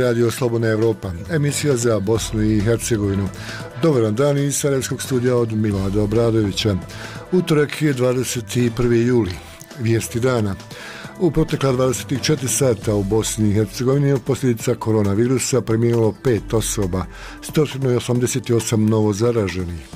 Radio Slobodna Evropa, emisija za Bosnu i Hercegovinu. Dobar dan iz Sarajevskog studija od Milada Obradovića. Utorak je 21. juli. Vijesti dana. U protekla 24 sata u Bosni i Hercegovini od posljedica koronavirusa preminulo 5 osoba, 188 novo zaraženih.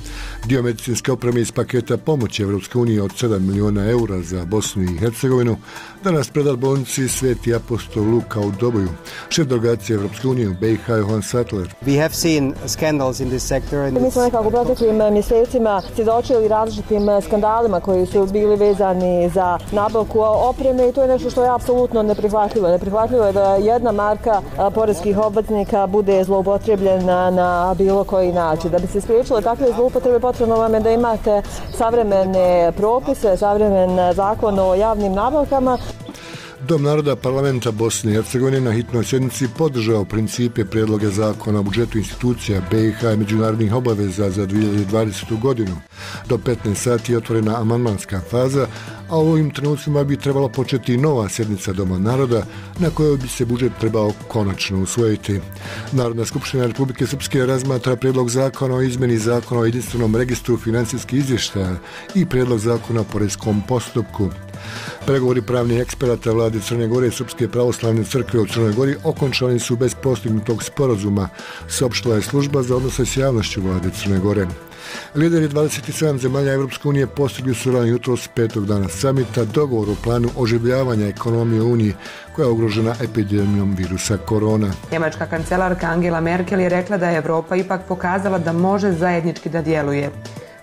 Dio medicinske opreme iz paketa pomoći Evropske unije od 7 miliona eura za Bosnu i Hercegovinu danas predat bolnici Sveti apostol Luka u Doboju. Šef delegacije Evropske unije u BiH Johan Sattler. We have seen scandals in this sector. Mi smo nekako u proteklim mjesecima svjedočili različitim skandalima koji su bili vezani za nabavku opreme i to je nešto što je apsolutno neprihvatljivo. Neprihvatljivo je da jedna marka poreskih obveznika bude zloupotrebljena na bilo koji način. Da bi se spriječile takve zloupotrebe potrebno vam je da imate savremene propise, savremen zakon o javnim nabavkama. Dom naroda parlamenta Bosne i Hercegovine na hitnoj sjednici podržao principe prijedloga zakona o budžetu institucija BiH i međunarodnih obaveza za 2020. godinu. Do 15 sati je otvorena amandmanska faza, a u ovim trenucima bi trebalo početi nova sjednica Doma naroda na kojoj bi se budžet trebao konačno usvojiti. Narodna skupština Republike Srpske razmatra prijedlog zakona o izmjeni zakona o jedinstvenom registru financijskih izvještaja i prijedlog zakona o poreskom postupku. Pregovori pravnih eksperata vlade Crne Gore i Srpske pravoslavne crkve u Crnoj Gori okončani su bez postignutog sporazuma, saopštila je služba za odnose s javnošću vlade Crne Gore. Lideri 27 zemalja Evropske unije postigli su rano jutros 5. dana samita dogovor o planu oživljavanja ekonomije Unije koja je ugrožena epidemijom virusa korona. Njemačka kancelarka Angela Merkel je rekla da je Evropa ipak pokazala da može zajednički da djeluje.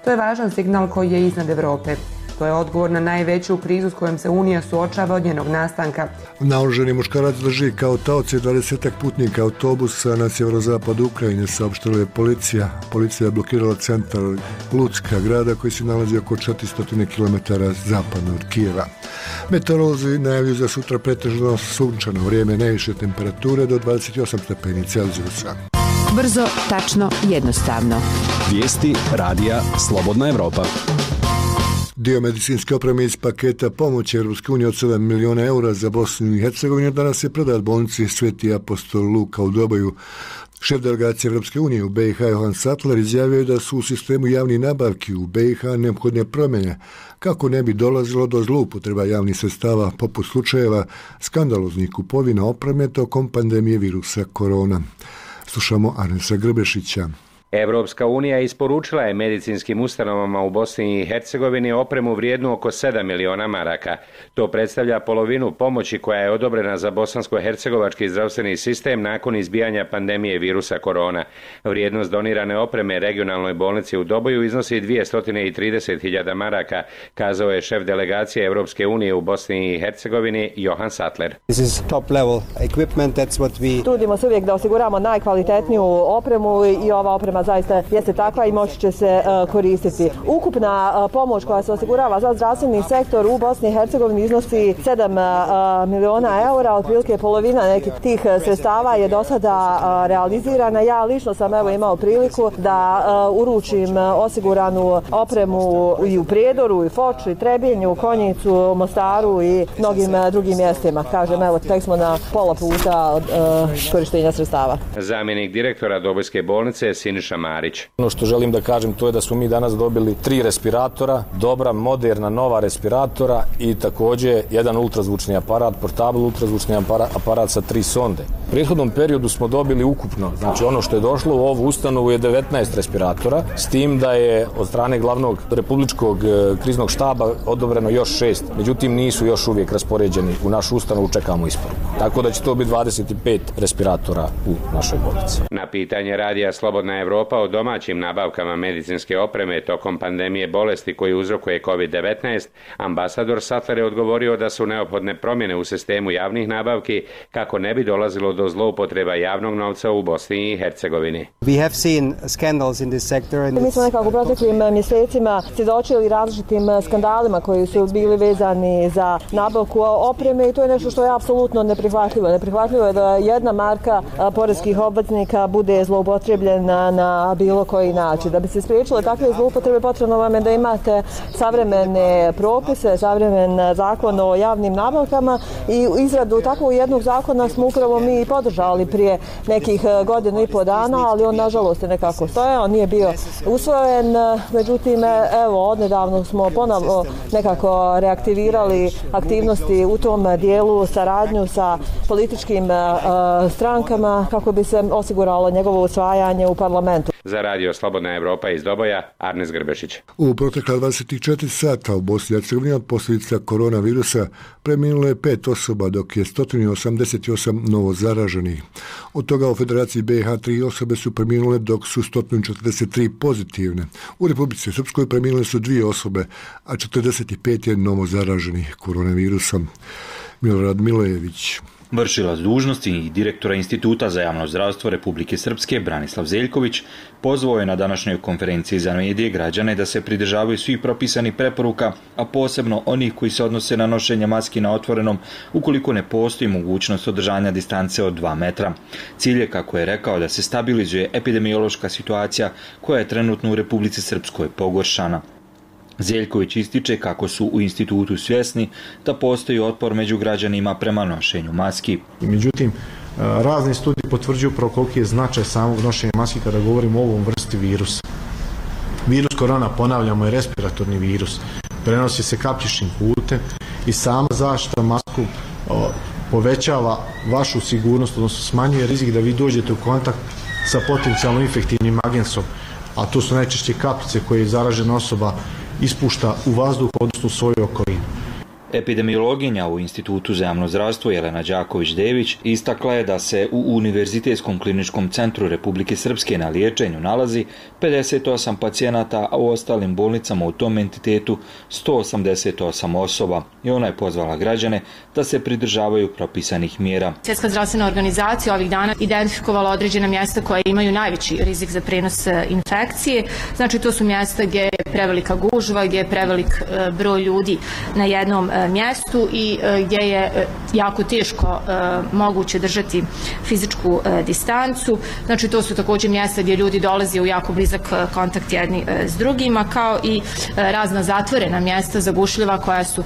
To je važan signal koji je iznad Evrope. To je odgovor na najveću krizu s kojom se Unija suočava od njenog nastanka. Naoružani muškarac drži kao taoce 20 putnika autobusa na sjeverozapadu Ukrajine, saopštila je policija. Policija je blokirala centar Lucka, grada koji se nalazi oko 400 km zapadno od Kijeva. Meteorolozi najavljuju za sutra pretežno sunčano vrijeme, najviše temperature do 28 stepeni Celzijusa. Brzo, tačno, jednostavno. Vijesti radija Slobodna Evropa. Dio medicinske opreme iz paketa pomoći Evropske unije od 7 miliona eura za Bosnu i Hercegovinu danas je predat bolnici Sveti apostol Luka u Doboju. Šef delegacije Evropske unije u BiH Johan Sattler izjavio je da su u sistemu javnih nabavki u BiH neophodne promjene kako ne bi dolazilo do zloupotreba javnih sredstava poput slučajeva skandaloznih kupovina opreme tokom pandemije virusa korona. Slušamo Arnesa Grbešića. Evropska unija isporučila je medicinskim ustanovama u Bosni i Hercegovini opremu vrijednu oko 7 miliona maraka. To predstavlja polovinu pomoći koja je odobrena za bosansko-hercegovački zdravstveni sistem nakon izbijanja pandemije virusa korona. Vrijednost donirane opreme regionalnoj bolnici u Doboju iznosi 230.000 maraka, kazao je šef delegacije Evropske unije u Bosni i Hercegovini Johan Sattler. Trudimo se uvijek da osiguramo najkvalitetniju opremu i ova oprema zaista jeste takva i moći će se koristiti. Ukupna pomoć koja se osigurava za zdravstveni sektor u Bosni i Hercegovini iznosi 7 miliona eura, otprilike polovina nekih tih sredstava je do sada realizirana. Ja lično sam imao priliku da uručim osiguranu opremu i u Prijedoru, i Foču, i Trebinju, Konjicu, Mostaru i mnogim drugim mjestima. Kažem, tek smo na pola puta od korištenja sredstava. Zamjenik direktora Dobojske bolnice Siniša Marić. Ono što želim da kažem to je da smo mi danas dobili 3 respiratora, dobra, moderna, nova respiratora i također jedan ultrazvučni aparat, portable ultrazvučni aparat sa 3 sonde. U prethodnom periodu smo dobili ukupno, znači ono što je došlo u ovu ustanovu je 19 respiratora, s tim da je od strane glavnog republičkog kriznog štaba odobreno još 6, međutim nisu još uvijek raspoređeni u našu ustanovu, čekamo isporuku. Tako da će to biti 25 respiratora u našoj bolnici. Na pitanje radija Slobodna Evropa o domaćim nabavkama medicinske opreme tokom pandemije bolesti koju uzrokuje COVID-19, ambasador Sattler je odgovorio da su neophodne promjene u sistemu javnih nabavki kako ne bi dolazilo do zloupotreba javnog novca u Bosni i Hercegovini. We have seen scandals in this sector. Mi smo nekako u proteklim mjesecima svjedočili različitim skandalima koji su bili vezani za nabavku opreme i to je nešto što je apsolutno neprihvatljivo. Neprihvatljivo je da jedna marka poreskih obveznika bude zloupotrebljena na na bilo koji način. Da bi se spriječile takve zloupotrebe, potrebno vam je da imate savremene propise, savremen zakon o javnim nabavkama i izradu takvog jednog zakona smo upravo mi podržali prije nekih godinu i pol dana, ali on nažalost je nekako stojao, nije bio usvojen. Međutim, evo, odnedavno smo ponovno nekako reaktivirali aktivnosti u tom dijelu, saradnju sa političkim strankama kako bi se osiguralo njegovo usvajanje u parlamentu. Za radio Slobodna Evropa iz Doboja, Arnes Grbešić. U protekla 24 sata u Bosni i Hercegovini od posljedica koronavirusa preminulo je 5 osoba, dok je 188 novo zaraženih. Od toga u Federaciji BiH 3 osobe su preminule, dok su 143 pozitivne. U Republici Srpskoj preminule su 2 osobe, a 45 je novo zaraženih koronavirusom. Milorad Milojević. Vršilac dužnosti i direktora Instituta za javno zdravstvo Republike Srpske Branislav Zeljković pozvao je na današnjoj konferenciji za medije građane da se pridržavaju svih propisanih preporuka, a posebno onih koji se odnose na nošenje maski na otvorenom ukoliko ne postoji mogućnost održanja distance od 2 metra. Cilj je, kako je rekao, da se stabilizuje epidemiološka situacija koja je trenutno u Republici Srpskoj pogoršana. Zeljković ističe kako su u institutu svjesni da postoji otpor među građanima prema nošenju maski. Međutim, razni studiji potvrđuju koliki je značaj samog nošenja maski kada govorimo o ovom vrsti virusa. Virus korona, ponavljamo, je respiratorni virus. Prenosi se kapljičnim putem i sama zaštita masku povećava vašu sigurnost, odnosno smanjuje rizik da vi dođete u kontakt sa potencijalno infektivnim agensom, a to su najčešće kapljice koje zaražena osoba ispušta u vazduh, odnosno u svoju okolinu. Epidemiologinja u Institutu za javno zdravstvo Jelena Đaković-Dević istakla je da se u Univerzitetskom kliničkom centru Republike Srpske na liječenju nalazi 58 pacijenata, a u ostalim bolnicama u tom entitetu 188 osoba. I ona je pozvala građane da se pridržavaju propisanih mjera. Svjetska zdravstvena organizacija ovih dana identifikovala određena mjesta koja imaju najveći rizik za prenos infekcije. Znači, to su mjesta gdje je prevelika gužva, gdje je prevelik broj ljudi na jednom mjestu i gdje je jako teško moguće držati fizičku distancu. Znači, to su također mjesta gdje ljudi dolaze u jako blizak kontakt jedni s drugima, kao i razna zatvorena mjesta zagušljiva koja su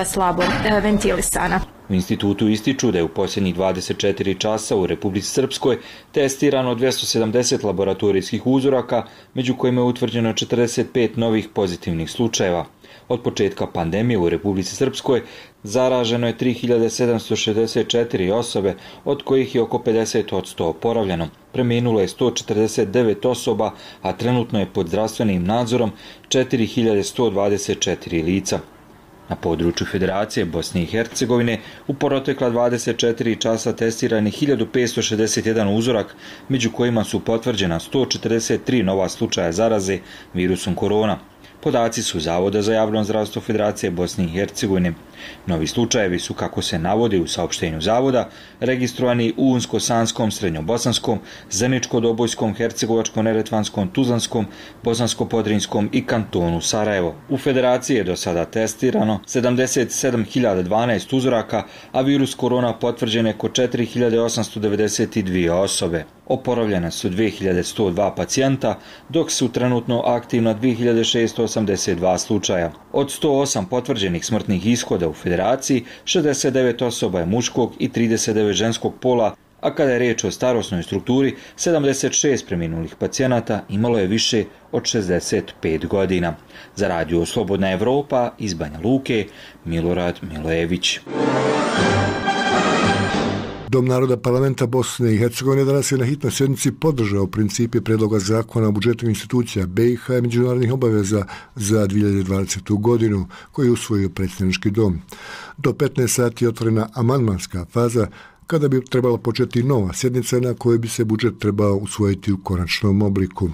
slabo ventilisana. U institutu ističu da je u posljednjih 24 časa u Republici Srpskoj testirano 270 laboratorijskih uzoraka, među kojima je utvrđeno 45 novih pozitivnih slučajeva. Od početka pandemije u Republici Srpskoj zaraženo je 3764 osobe, od kojih je oko 50% oporavljeno. Preminulo je 149 osoba, a trenutno je pod zdravstvenim nadzorom 4124 lica. Na području Federacije Bosne i Hercegovine u protekla 24 časa testiran je 1561 uzorak, među kojima su potvrđena 143 nova slučaja zaraze virusom korona. Podaci su Zavoda za javno zdravstvo Federacije Bosne i Hercegovine. Novi slučajevi su, kako se navodi u saopštenju Zavoda, registrovani u Unsko-Sanskom, Srednjobosanskom, Zeničko-Dobojskom, Hercegovačko-Neretvanskom, Tuzlanskom, Bosansko-Podrinjskom i kantonu Sarajevo. U Federaciji je do sada testirano 77.012 uzoraka, a virus korona potvrđen je kod 4.892 osobe. Oporavljena su 2.102 pacijenta, dok su trenutno aktivna 2.682 slučaja. Od 108 potvrđenih smrtnih ishoda u Federaciji, 69 osoba je muškog i 39 ženskog pola, a kada je riječ o starosnoj strukturi, 76 preminulih pacijenata imalo je više od 65 godina. Za radio Slobodna Evropa iz Banja Luke, Milorad Milojević. Dom naroda parlamenta Bosne i Hercegovine danas je na hitnoj sjednici podržao principe predloga zakona o budžetu institucija BiH i međunarodnih obaveza za 2020. godinu, koji je usvojio predsjednički dom. Do 15 sati je otvorena amandmanska faza, kada bi trebala početi nova sjednica na kojoj bi se budžet trebao usvojiti u konačnom obliku.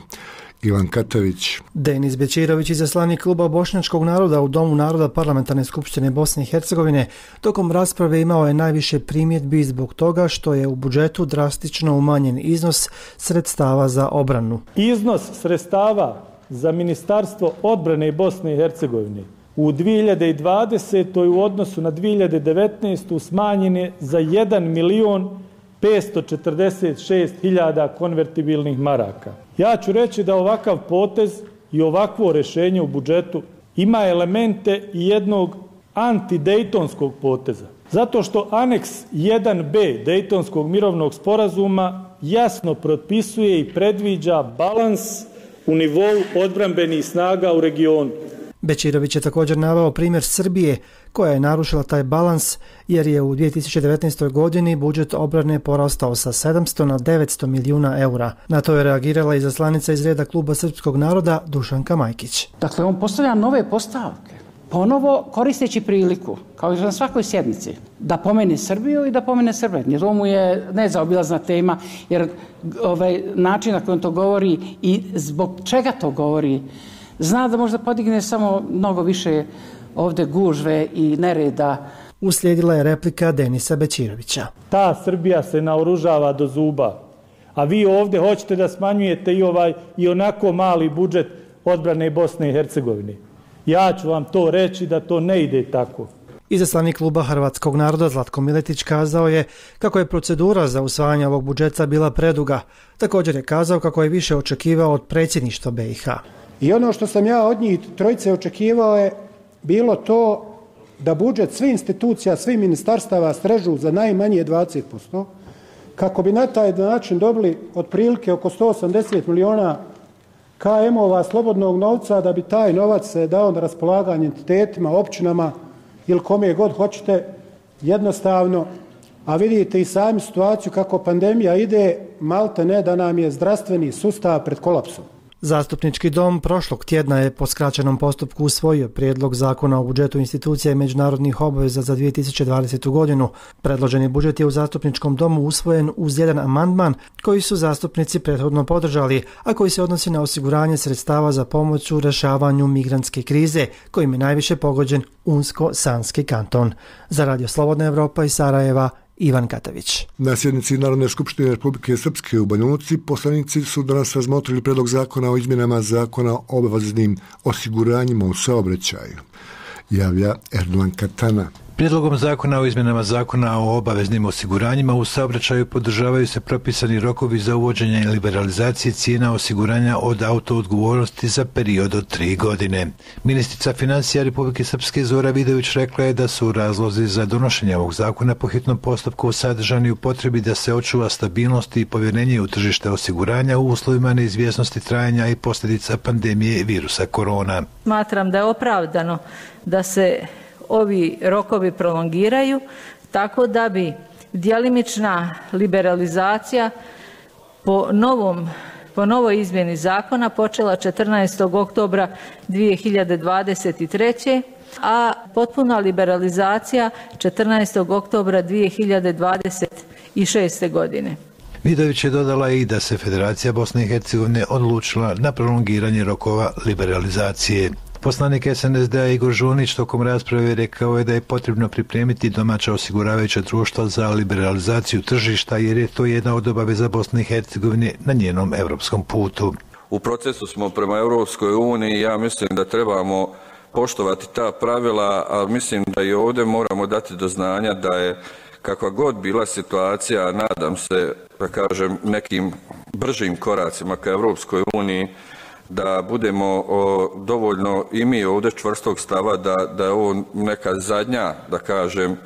Ivan Katavić. Denis Bećirović, izaslanik kluba Bošnjačkog naroda u Domu naroda Parlamentarne skupštine Bosne i Hercegovine, tokom rasprave imao je najviše primjedbi zbog toga što je u budžetu drastično umanjen iznos sredstava za obranu. Iznos sredstava za Ministarstvo odbrane Bosne i Hercegovine u 2020. u odnosu na 2019. smanjen je za 1.500.000 546.000 konvertibilnih maraka. Ja ću reći da ovakav potez i ovakvo rješenje u budžetu ima elemente i jednog antidejtonskog poteza. Zato što aneks 1b Dejtonskog mirovnog sporazuma jasno propisuje i predviđa balans u nivou odbrambenih snaga u regionu. Bečirović je također naveo primjer Srbije koja je narušila taj balans jer je u 2019. godini budžet obrane porastao sa 700 na 900 milijuna eura. Na to je reagirala izaslanica iz reda Kluba srpskog naroda Dušanka Majkić. Dakle, on postavlja nove postavke, ponovo koristeći priliku, kao i na svakoj sjednici, da pomene Srbiju i da pomene Srbe. Jer to mu je nezaobilazna tema, jer način na koji on to govori i zbog čega to govori, zna da možda podigne samo mnogo više ovdje gužve i nereda. Uslijedila je replika Denisa Bečirovića. Ta Srbija se naoružava do zuba, a vi ovdje hoćete da smanjujete i onako mali budžet odbrane Bosne i Hercegovine. Ja ću vam to reći da to ne ide tako. Izaslanik Kluba hrvatskog naroda Zlatko Miletić kazao je kako je procedura za usvajanje ovog budžeta bila preduga. Također je kazao kako je više očekivao od predsjedništva BiH. I ono što sam ja od njih trojice očekivao je bilo to da budžet svih institucija, svih ministarstava strežu za najmanje 20%, kako bi na taj način dobili otprilike oko 180 milijuna KM-ova slobodnog novca, da bi taj novac se dao na raspolaganje entitetima, općinama ili kome god hoćete, jednostavno. A vidite i sami situaciju kako pandemija ide, malte ne da nam je zdravstveni sustav pred kolapsom. Zastupnički dom prošlog tjedna je po skraćenom postupku usvojio prijedlog zakona o budžetu institucija i međunarodnih obaveza za 2020. godinu. Predloženi budžet je u zastupničkom domu usvojen uz jedan amandman koji su zastupnici prethodno podržali, a koji se odnosi na osiguranje sredstava za pomoć u rješavanju migrantske krize, kojim je najviše pogođen Unsko-Sanski kanton. Za Radio Slobodna Evropa iz Sarajeva, Ivan Katavić. Na sjednici Narodne skupštine Republike Srpske u Banja Luci poslanici su danas razmotrili predlog zakona o izmjenama zakona o obaveznim osiguranjima u saobraćaju. Javlja Erdogan Katana. Prijedlogom zakona o izmjenama zakona o obaveznim osiguranjima u saobraćaju podržavaju se propisani rokovi za uvođenje i liberalizacije cijena osiguranja od autoodgovornosti za period od 3 godine. Ministrica financija Republike Srpske Zora Vidović rekla je da su razlozi za donošenje ovog zakona po hitnom postupku sadržani u potrebi da se očuva stabilnost i povjerenje u tržište osiguranja u uslovima neizvjesnosti trajanja i posljedica pandemije virusa korona. Smatram da je opravdano da se ovi rokovi prolongiraju tako da bi djelimična liberalizacija po novoj izmjeni zakona počela 14. oktobra 2023. a potpuna liberalizacija 14. oktobra 2026. godine. Vidović je dodala i da se Federacija Bosne i Hercegovine odlučila na prolongiranje rokova liberalizacije. Poslanik SNSD-a Igor Žunić tokom rasprave rekao je da je potrebno pripremiti domaća osiguravajuća društva za liberalizaciju tržišta jer je to jedna od obaveza Bosne i Hercegovine na njenom europskom putu. U procesu smo prema Europskoj uniji, ja mislim da trebamo poštovati ta pravila, ali mislim da i ovdje moramo dati do znanja da je kakva god bila situacija, nadam se, da kažem, nekim bržim koracima ka Europskoj uniji, da budemo dovoljno i mi ovdje čvrstog stava da je ovo neka zadnja, da kažem,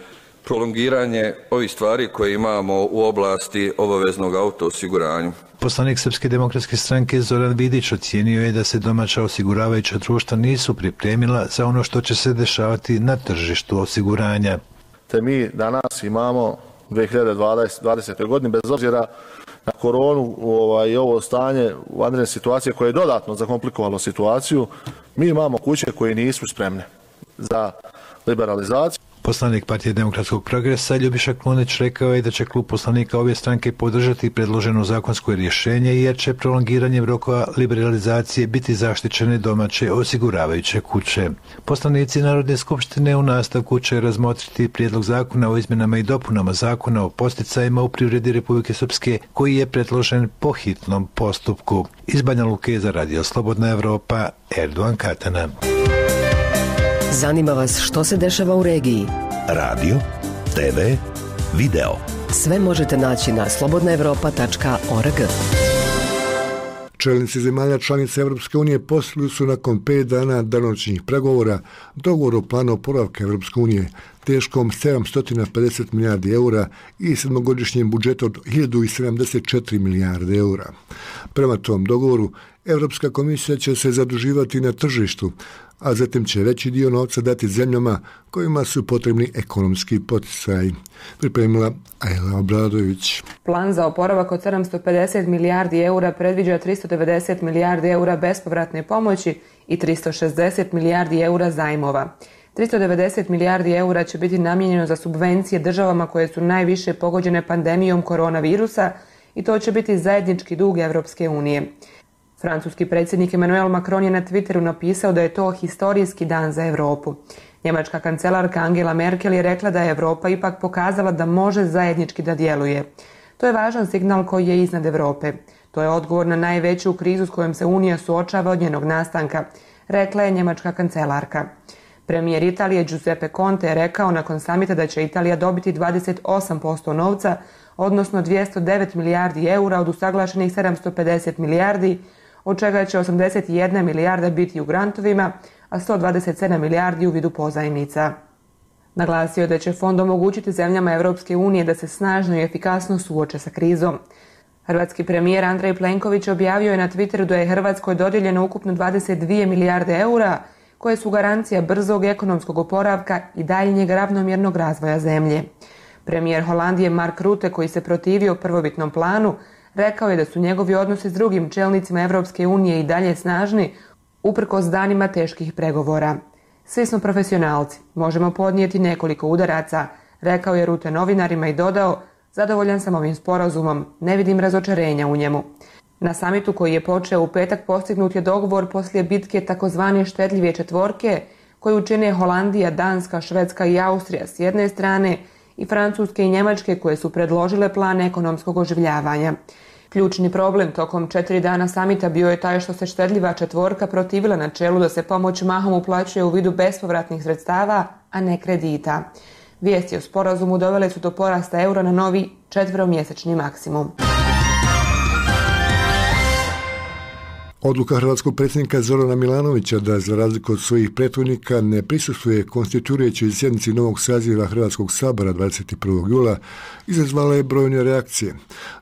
prolongiranje ovih stvari koje imamo u oblasti obaveznog autoosiguranja. Poslanik Srpske demokratske stranke Zoran Vidić ocijenio je da se domaća osiguravajuća društva nisu pripremila za ono što će se dešavati na tržištu osiguranja. Te mi danas imamo 2020. godine, bez obzira na koronu i ovo stanje vanredne situacije koje je dodatno zakomplikovalo situaciju, mi imamo kuće koje nisu spremne za liberalizaciju. Poslanik Partije demokratskog progresa Ljubiša Klunić rekao je da će klub poslanika obje stranke podržati predloženo zakonsko rješenje jer će prolongiranjem rokova liberalizacije biti zaštićene domaće osiguravajuće kuće. Poslanici Narodne skupštine u nastavku će razmotriti prijedlog zakona o izmjenama i dopunama zakona o podsticajima u privredi Republike Srpske koji je predložen po hitnom postupku. Iz Banja Luke za Radio Slobodna Evropa, Erdogan Katana. Zanima vas što se dešava u regiji? Radio, TV, video. Sve možete naći na slobodnaevropa.org. Čelnici zemalja članica Europske unije postigli su nakon 5 dana danonoćnih pregovora dogovor o planu oporavka Europske unije teškom 750 milijardi eura i sedmogodišnjem budžetu od 1074 milijarde eura. Prema tom dogovoru, Europska komisija će se zaduživati na tržištu, a zatim će veći dio novca dati zemljama kojima su potrebni ekonomski poticaji. Pripremila Ajla Obradović. Plan za oporavak od 750 milijardi eura predviđa 390 milijardi eura bespovratne pomoći i 360 milijardi eura zajmova. 390 milijardi eura će biti namijenjeno za subvencije državama koje su najviše pogođene pandemijom koronavirusa i to će biti zajednički dug Evropske unije. Francuski predsjednik Emmanuel Macron je na Twitteru napisao da je to historijski dan za Europu. Njemačka kancelarka Angela Merkel je rekla da je Europa ipak pokazala da može zajednički da djeluje. To je važan signal koji je iznad Europe. To je odgovor na najveću krizu s kojom se Unija suočava od njenog nastanka, rekla je njemačka kancelarka. Premijer Italije Giuseppe Conte je rekao nakon samita da će Italija dobiti 28% novca, odnosno 209 milijardi eura od usaglašenih 750 milijardi, od čega će 81 milijarda biti u grantovima, a 127 milijardi u vidu pozajmica. Naglasio je da će fond omogućiti zemljama Europske unije da se snažno i efikasno suoče sa krizom. Hrvatski premijer Andrej Plenković objavio je na Twitteru da je Hrvatskoj dodijeljeno ukupno 22 milijarde eura, koje su garancija brzog ekonomskog oporavka i daljnjeg ravnomjernog razvoja zemlje. Premijer Holandije Mark Rutte, koji se protivio prvobitnom planu, rekao je da su njegovi odnosi s drugim čelnicima Europske unije i dalje snažni, uprkos danima teških pregovora. Svi smo profesionalci, možemo podnijeti nekoliko udaraca, rekao je Rutte novinarima i dodao, zadovoljan sam ovim sporazumom, ne vidim razočarenja u njemu. Na samitu koji je počeo u petak postignut je dogovor poslije bitke takozvane štedljive četvorke, koju čine Holandija, Danska, Švedska i Austrija s jedne strane i Francuske i Njemačke koje su predložile plan ekonomskog oživljavanja. Ključni problem tokom 4 dana samita bio je taj što se štedljiva četvorka protivila načelu da se pomoć mahom uplaćuje u vidu bespovratnih sredstava, a ne kredita. Vijesti o sporazumu dovele su do porasta eura na novi 4-mjesečni maksimum. Odluka hrvatskog predsjednika Zorana Milanovića da za razliku od svojih prethodnika ne prisustvuje konstituirajućoj sjednici novog saziva Hrvatskog sabora 21. jula izazvala je brojne reakcije.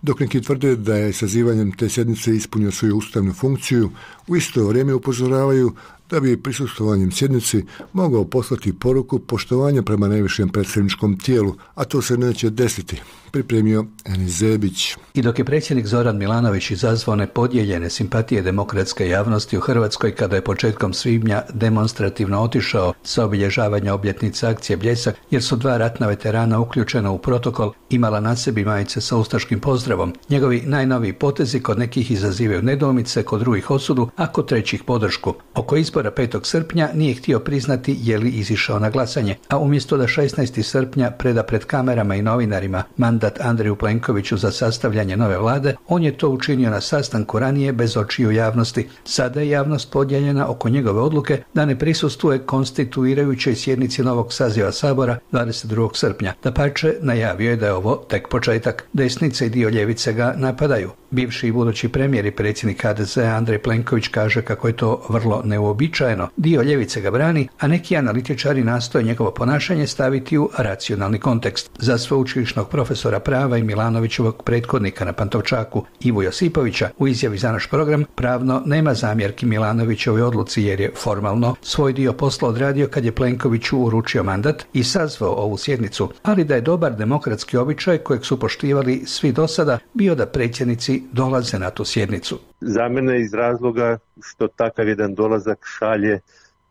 Dok neki tvrde da je sazivanjem te sjednice ispunio svoju ustavnu funkciju, u isto vrijeme upozoravaju da bi prisustvovanjem sjednici mogao poslati poruku poštovanja prema najvišem predstavničkom tijelu, a to se neće desiti, pripremio Enis Zebić. I dok je predsjednik Zoran Milanović izazvao nepodijeljene simpatije demokratske javnosti u Hrvatskoj kada je početkom svibnja demonstrativno otišao sa obilježavanja obljetnice akcije Bljesak, jer su 2 ratna veterana uključena u protokol imala na sebi majice sa ustaškim pozdravom, njegovi najnoviji potezi kod nekih izazivaju nedoumice, kod drugih osudu, a kod trećih podršku. Oko izbora 5. srpnja nije htio priznati je li izišao na glasanje, a umjesto da 16. srpnja preda pred kamerama i novinarima mandat Andreju Plenkoviću za sastavljanje nove vlade, on je to učinio na sastanku ranije bez očiju javnosti. Sada je javnost podijeljena oko njegove odluke da ne prisustvuje konstituirajućoj sjednici novog saziva Sabora 22. srpnja. Dapače, najavio je da je ovo tek početak. Desnica i dio ljevice ga napadaju. Bivši i budući premijer i predsjednik HDZ-a Andrej Plenković kaže kako je to vrlo neuobičajeno. Dio ljevice ga brani, a neki analitičari nastoje njegovo ponašanje staviti u racionalni kontekst. Za sveučilišnog profesora prava i Milanovićevog prethodnika na Pantovčaku Ivu Josipovića u izjavi za naš program pravno nema zamjerki Milanovićevoj odluci jer je formalno svoj dio posla odradio kad je Plenkoviću uručio mandat i sazvao ovu sjednicu, ali da je dobar demokratski običaj kojeg su poštivali svi do sada bio da predsjednici dolaze na tu sjednicu. Za mene iz razloga što takav jedan dolazak šalje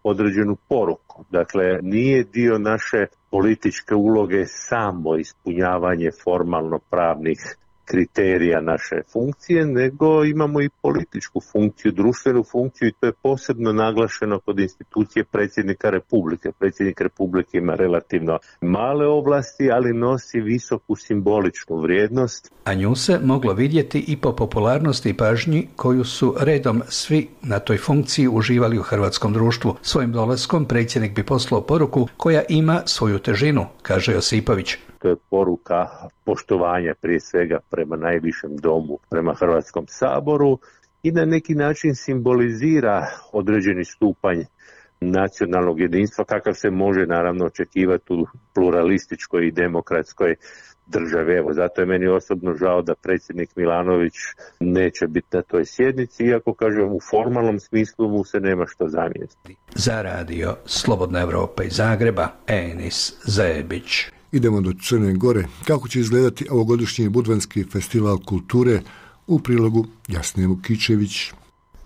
određenu poruku. Dakle, nije dio naše političke uloge samo ispunjavanje formalno pravnih kriterija naše funkcije, nego imamo i političku funkciju, društvenu funkciju i to je posebno naglašeno kod institucije predsjednika Republike. Predsjednik Republike ima relativno male ovlasti, ali nosi visoku simboličnu vrijednost. A nju se moglo vidjeti i po popularnosti i pažnji koju su redom svi na toj funkciji uživali u hrvatskom društvu. Svojim dolaskom predsjednik bi poslao poruku koja ima svoju težinu, kaže Josipović. to je poruka poštovanja prije svega prema najvišem domu, prema Hrvatskom saboru i na neki način simbolizira određeni stupanj nacionalnog jedinstva kakav se može naravno očekivati u pluralističkoj i demokratskoj državi. Evo, zato je meni osobno žao da predsjednik Milanović neće biti na toj sjednici, iako kažem u formalnom smislu mu se nema što zamjeriti. Za radio Slobodna Evropa iz Zagreba, Enis Zebić. Idemo do Crne Gore. Kako će izgledati ovogodišnji Budvanski festival kulture, u prilogu Jasne Vukičević.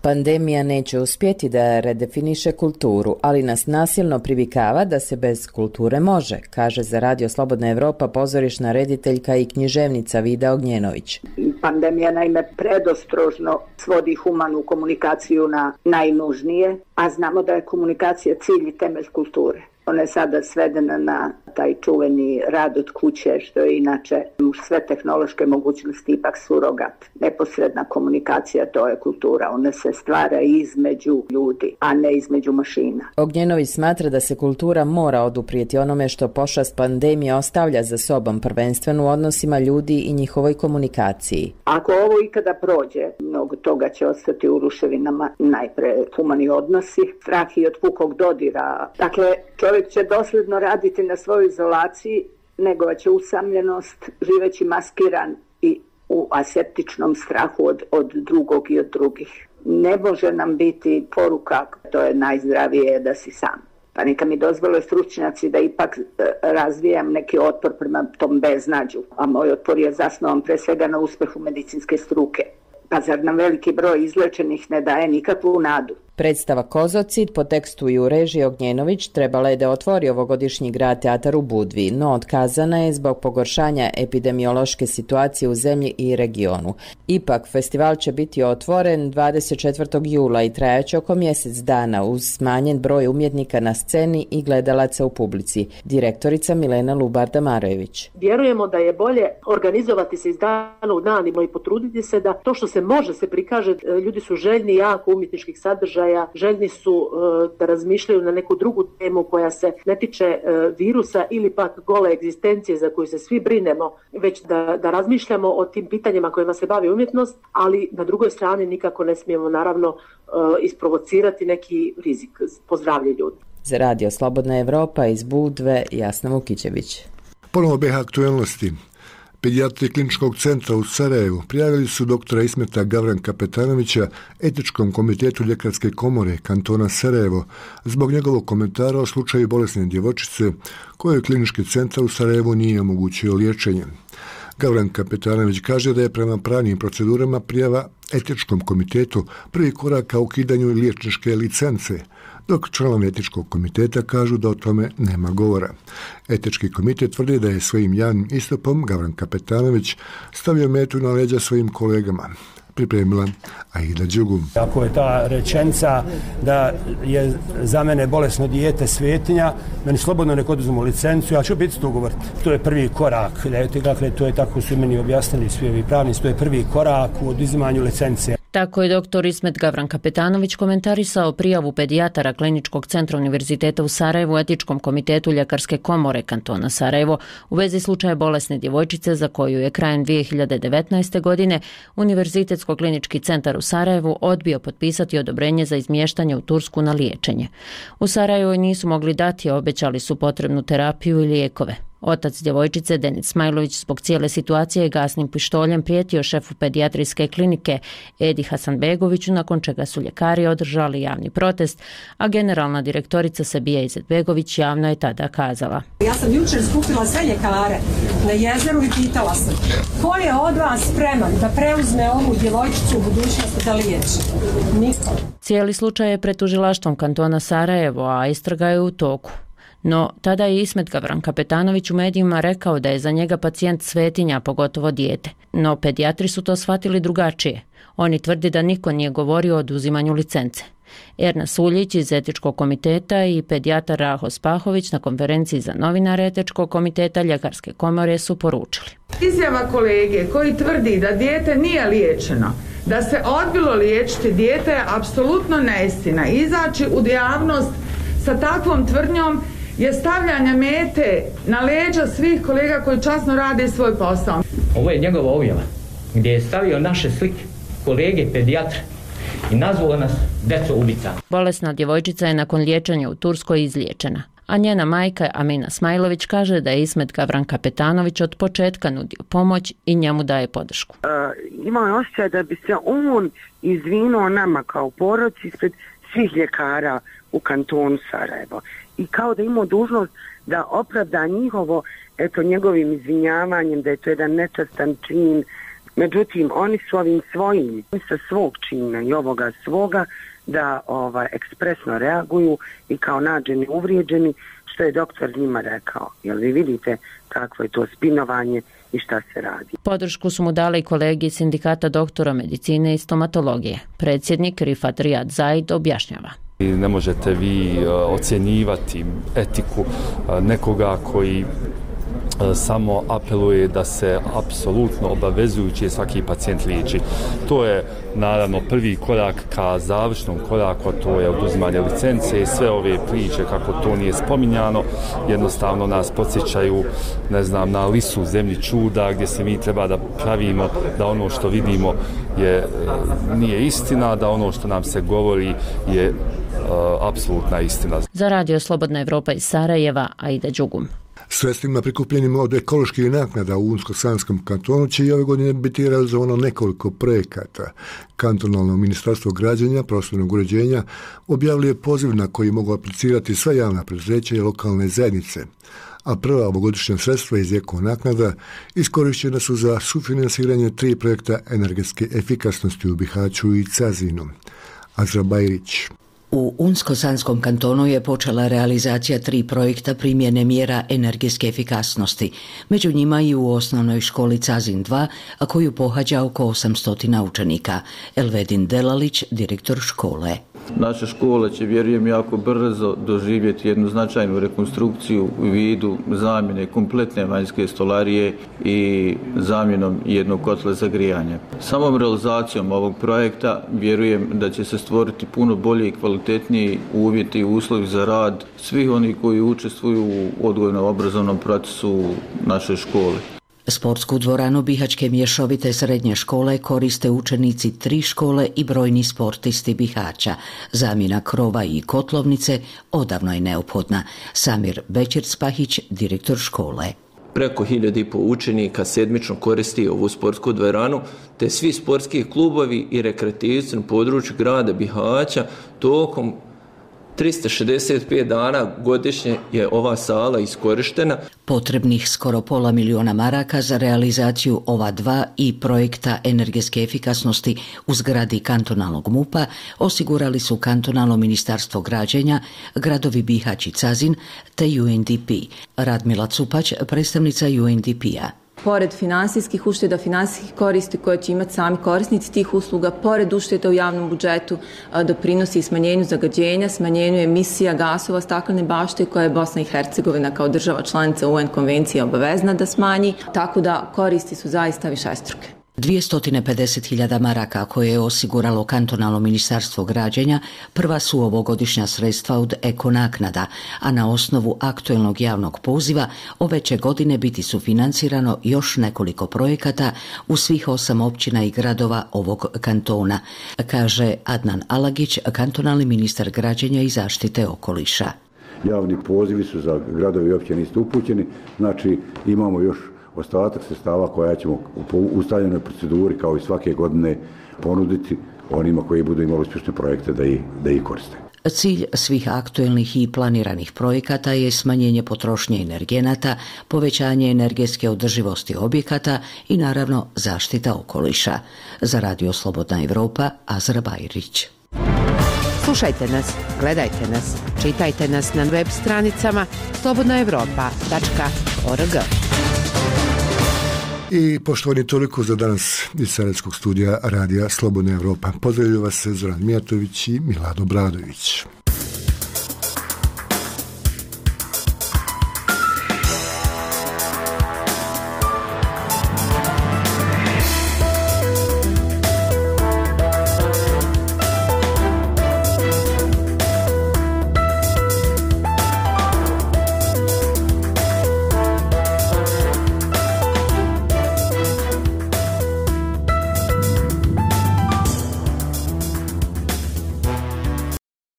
Pandemija neće uspjeti da redefiniše kulturu, ali nas nasilno privikava da se bez kulture može, kaže za radio Slobodna Evropa pozorišna rediteljka i književnica Vida Ognjenović. Pandemija naime predostrožno svodi humanu komunikaciju na najnužnije, a znamo da je komunikacija cilj i temelj kulture. Ona je sada svedena na taj čuveni rad od kuće, što je inače uz sve tehnološke mogućnosti ipak surogat. Neposredna komunikacija, to je kultura. Ona se stvara između ljudi, a ne između mašina. Ognjenović smatra da se kultura mora oduprijeti onome što pošast pandemije ostavlja za sobom, prvenstveno u odnosima ljudi i njihovoj komunikaciji. Ako ovo ikada prođe, mnogo toga će ostati u ruševinama. Najpre humani odnosi, strah i od pukog dodira. Dakle, čovjek će dosljedno raditi na svojoj izolaciji, negovaće usamljenost, živeći maskiran i u aseptičnom strahu od drugog i od drugih. Ne može nam biti poruka, to je najzdravije da si sam. Pa neka mi dozvole stručnjaci da ipak razvijam neki otpor prema tom beznađu, a moj otpor je zasnovan pre svega na uspehu medicinske struke. Pa zar nam veliki broj izlečenih ne daje nikakvu nadu? Predstava Kozocid po tekstu i u režiji Ognjenović trebala je da otvori ovogodišnji grad teatar u Budvi, no otkazana je zbog pogoršanja epidemiološke situacije u zemlji i regionu. Ipak, festival će biti otvoren 24. jula i trajaće oko mjesec dana uz smanjen broj umjetnika na sceni i gledalaca u publici. Direktorica Milena Lubar-Damarević. Vjerujemo da je bolje organizovati se iz dana u dan i potruditi se da to što se može se prikaže. Ljudi su željni jako umjetničkih sadržaja, željni su da razmišljaju na neku drugu temu koja se ne tiče virusa ili pak gole egzistencije za koju se svi brinemo, već da razmišljamo o tim pitanjima kojima se bavi umjetnost, ali na drugoj strani nikako ne smijemo naravno isprovocirati neki rizik po zdravlje ljudi. Za radio Slobodna Evropa iz Budve, Jasna Vukičević. Ponovo BiH aktuelnosti. Pedijatri Kliničkog centra u Sarajevu prijavili su doktora Ismeta Gavranka Petanovića Etičkom komitetu Ljekarske komore kantona Sarajevo zbog njegovog komentara o slučaju bolesne djevojčice kojoj Klinički centar u Sarajevu nije omogućio liječenje. Gavranka Petanović kaže da je prema pravnim procedurama prijava Etičkom komitetu prvi korak ka ukidanju liječničke licence, dok članovi Etičkog komiteta kažu da o tome nema govora. Etički komitet tvrdi da je svojim javnim istupom Gavranka Petanović stavio metu na leđa svojim kolegama. Pripremila Aida Đugum. Ako je ta rečenica da je za mene bolesno dijete svetinja, meni slobodno nek oduzmu licencu, ja ću biti to govoriti. To je prvi korak, dakle to je tako su meni objasnili svi ovi pravnici, to je prvi korak u oduzimanju licence. Tako je doktor Ismet Gavranka Petanović komentarisao prijavu pedijatara Kliničkog centra Univerziteta u Sarajevu Etičkom komitetu Ljekarske komore kantona Sarajevo u vezi slučaja bolesne djevojčice za koju je krajem 2019. godine Univerzitetsko-klinički centar u Sarajevu odbio potpisati odobrenje za izmještanje u Tursku na liječenje. U Sarajevu nisu mogli dati, obećali su potrebnu terapiju i lijekove. Otac djevojčice, Denis Smajlović, zbog cijele situacije gasnim pištoljem prijetio šefu pedijatrijske klinike Edi Hasanbegoviću, nakon čega su ljekari održali javni protest, a generalna direktorica Sebija Izetbegović javno je tada kazala: Ja sam jučer skupila sve ljekare na jezeru i pitala sam ko je od vas spreman da preuzme ovu djevojčicu u budućnosti da liječi? Niko. Cijeli slučaj je pred tužilaštvom kantona Sarajevo, a istraga je u toku. No, tada je Ismet Gavranka Petanović u medijima rekao da je za njega pacijent svetinja, pogotovo dijete. No, pedijatri su to shvatili drugačije. Oni tvrdi da niko nije govorio o oduzimanju licence. Erna Suljić iz Etičkog komiteta i pedijatar Raho Spahović na konferenciji za novinare Etičkog komiteta Ljekarske komore su poručili: Izjava kolege koji tvrdi da dijete nije liječeno, da se odbilo liječiti dijete je apsolutno neistina. Izaći u javnost sa takvom tvrdnjom je stavljanje mete na leđa svih kolega koji časno rade svoj posao. Ovo je njegova objava gdje je stavio naše slike, kolege pedijatra i nazvao nas deco ubica. Bolesna djevojčica je nakon liječenja u Turskoj izliječena, a njena majka Amina Smajlović kaže da je Ismet Gavran Kapetanović od početka nudio pomoć i njemu daje podršku. Imao je osjećaj da bi se on izvinuo nama kao porodici ispred svih ljekara u kantonu Sarajevo i kao da imao dužnost da opravda njegovim izvinjavanjem, da je to jedan nečastan čin. Međutim, oni su ovim svojim, sa svog čina i ovoga svoga, da ekspresno reaguju i kao nađeni uvrijeđeni, što je doktor njima rekao. Jel vi vidite kakvo je to spinovanje i šta se radi? Podršku su mu dali i kolegi sindikata doktora medicine i stomatologije. Predsjednik Rifat Rijad Zaid objašnjava. Ne možete vi ocjenjivati etiku nekoga koji samo apeluje da se apsolutno obavezujući svaki pacijent liječi. To je naravno prvi korak ka završnom koraku, a to je oduzimanje licence i sve ove priče kako to nije spominjano, jednostavno nas podsjećaju, na lisu zemlji čuda gdje se mi treba da pravimo da ono što vidimo nije istina, da ono što nam se govori je apsolutna istina. Za Radio Slobodna Evropa iz Sarajeva, Aida Đugum. Sredstvima prikupljenim od ekoloških naknada u Unsko-Sanskom kantonu će i ove godine biti realizovano nekoliko projekata. Kantonalno ministarstvo građenja, prostornog uređenja objavljuje poziv na koji mogu aplicirati sva javna preduzeća i lokalne zajednice, a prva ovogodišnja sredstva iz eko naknada iskorištena su za sufinansiranje 3 projekta energetske efikasnosti u Bihaću i Cazinu. Azra Bajrić. U Unsko-Sanskom kantonu je počela realizacija 3 projekta primjene mjera energetske efikasnosti, među njima i u osnovnoj školi Cazin 2, a koju pohađa oko 800 učenika. Elvedin Delalić, direktor škole. Naša škola će, vjerujem, jako brzo doživjeti jednu značajnu rekonstrukciju u vidu zamjene kompletne vanjske stolarije i zamjenom jednog kotla za grijanje. Samom realizacijom ovog projekta vjerujem da će se stvoriti puno bolji i kvalitetniji uvjeti i uslovi za rad svih onih koji učestvuju u odgojno-obrazovnom procesu naše škole. Sportsku dvoranu Bihaćke mješovite srednje škole koriste učenici 3 škole i brojni sportisti Bihaća. Zamjena krova i kotlovnice odavno je neophodna. Samir Bećir-Spahić, direktor škole. Preko 1500 učenika sedmično koristi ovu sportsku dvoranu, te svi sportski klubovi i rekreativci na području grada Bihaća tokom 365 dana godišnje je ova sala iskorištena. Potrebnih skoro $500,000 maraka za realizaciju ova 2 i projekta energetske efikasnosti u zgradi kantonalnog MUP-a osigurali su kantonalno ministarstvo građenja, gradovi Bihać i Cazin te UNDP. Radmila Cupać, predstavnica UNDP-a. Pored finansijskih ušteda, finansijskih koristi koje će imati sami korisnici tih usluga, pored ušteda u javnom budžetu, doprinosi i smanjenju zagađenja, smanjenju emisija gasova staklene bašte koje je Bosna i Hercegovina kao država članica UN konvencije obavezna da smanji, tako da koristi su zaista višestruke. 250.000 maraka koje je osiguralo kantonalno ministarstvo građenja prva su ovogodišnja sredstva od eko naknada, a na osnovu aktuelnog javnog poziva ove će godine biti sufinancirano još nekoliko projekata u svih 8 općina i gradova ovog kantona, kaže Adnan Alagić, kantonalni ministar građenja i zaštite okoliša. Javni pozivi su za gradovi i općine isto upućeni, znači imamo još ostatak sredstava koja ćemo po ustaljenoj proceduri kao i svake godine ponuditi onima koji budu imali uspješne projekte da ih koriste. Cilj svih aktuelnih i planiranih projekata je smanjenje potrošnje energenata, povećanje energetske održivosti objekata i naravno zaštita okoliša. Za Radio Slobodna Evropa, Azra Bajrić. Slušajte nas, gledajte nas, čitajte nas na web stranicama slobodnaevropa.org. I poštovani, toliko za danas iz Sarajevskog studija Radija Slobodna Evropa. Pozdravljaju vas Zoran Mijatović i Milado Bradović.